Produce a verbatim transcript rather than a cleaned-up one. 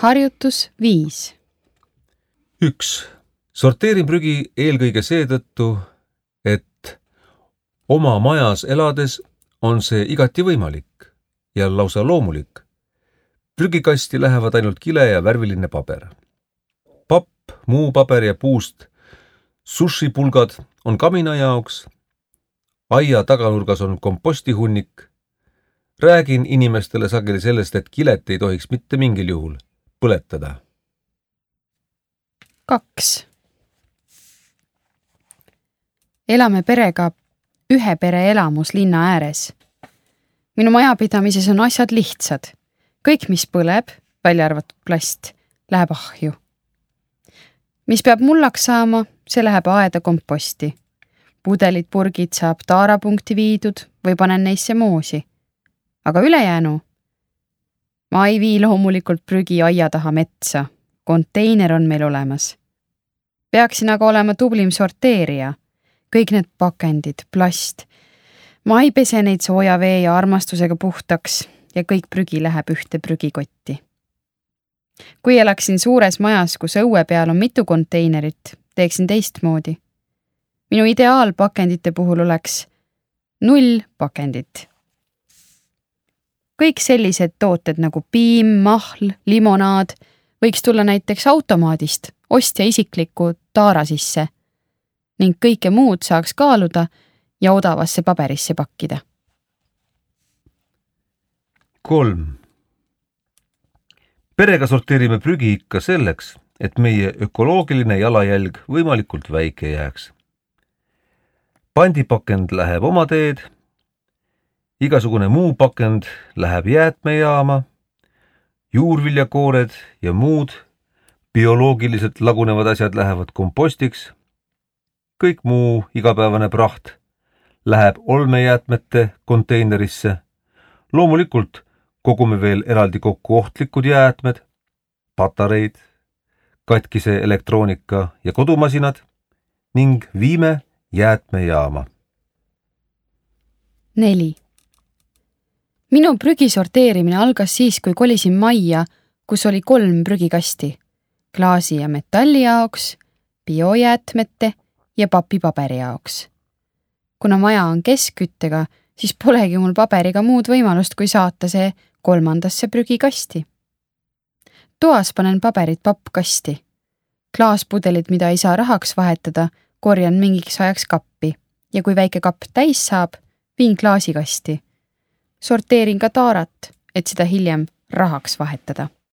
Harjutus viis. üks. Sorteerin prügi eelkõige seetõttu, et oma majas elades on see igati võimalik ja lausa loomulik. Prügikasti lähevad ainult kile ja värviline paber. Papp, muu paber ja puust sushipulgad on kamina jaoks. Aia taganurgas on kompostihunnik. Räägin inimestele sageli sellest, et kilet ei tohiks mitte mingil juhul põletada. kaks. Elame perega ühe pere elamus linna ääres. Minu majapidamises on asjad lihtsad. Kõik, mis põleb, välja arvatud plast, läheb ahju. Mis peab mullaks saama, see läheb aeda komposti. Pudelid, purgid saab taarapunkti viidud või panen neisse moosi. Aga ülejäänu? Ma ei vii loomulikult prügi aia taha metsa. Konteiner on meil olemas. Peaksin aga olema tublim sorteerija. Kõik need pakendid, plast. Ma ei pese neid sooja vee ja armastusega puhtaks ja kõik prügi läheb ühte prügikotti. Kui elaksin suures majas, kus õue peal on mitu konteinerit, teeksin teistmoodi. Minu ideaalpakendite puhul oleks null pakendit. Kõik sellised tooted nagu piim, mahl, limonaad võiks tulla näiteks automaadist, ostja isikliku taara sisse ning kõike muud saaks kaaluda ja odavasse paberisse pakkida. kolm. Perega sorteerime prügi ikka selleks, et meie ökoloogiline jalajälg võimalikult väike jääks. Pandipakend läheb oma teed, igasugune muu pakend läheb jäätmejaama, juurviljakoored ja muud bioloogiliselt lagunevad asjad lähevad kompostiks, kõik muu igapäevane praht läheb olmejäätmete konteinerisse. Loomulikult kogume veel eraldi kokku ohtlikud jäätmed, patareid, katkise elektroonika ja kodumasinad ning viime jäätmejaama. neli. Minu prügi sorteerimine algas siis, kui kolisin majja, kus oli kolm prügikasti. Klaasi ja metalli jaoks, biojäätmete ja papipaberi jaoks. Kuna maja on keskküttega, siis polegi mul paberiga muud võimalust, kui saata see kolmandasse prügikasti. Toas panen paberit pappkasti. Klaaspudelid, mida ei saa rahaks vahetada, korjan mingiks ajaks kappi ja kui väike kapp täis saab, viin klaasikasti. Sorteerin ka taarat, et seda hiljem rahaks vahetada.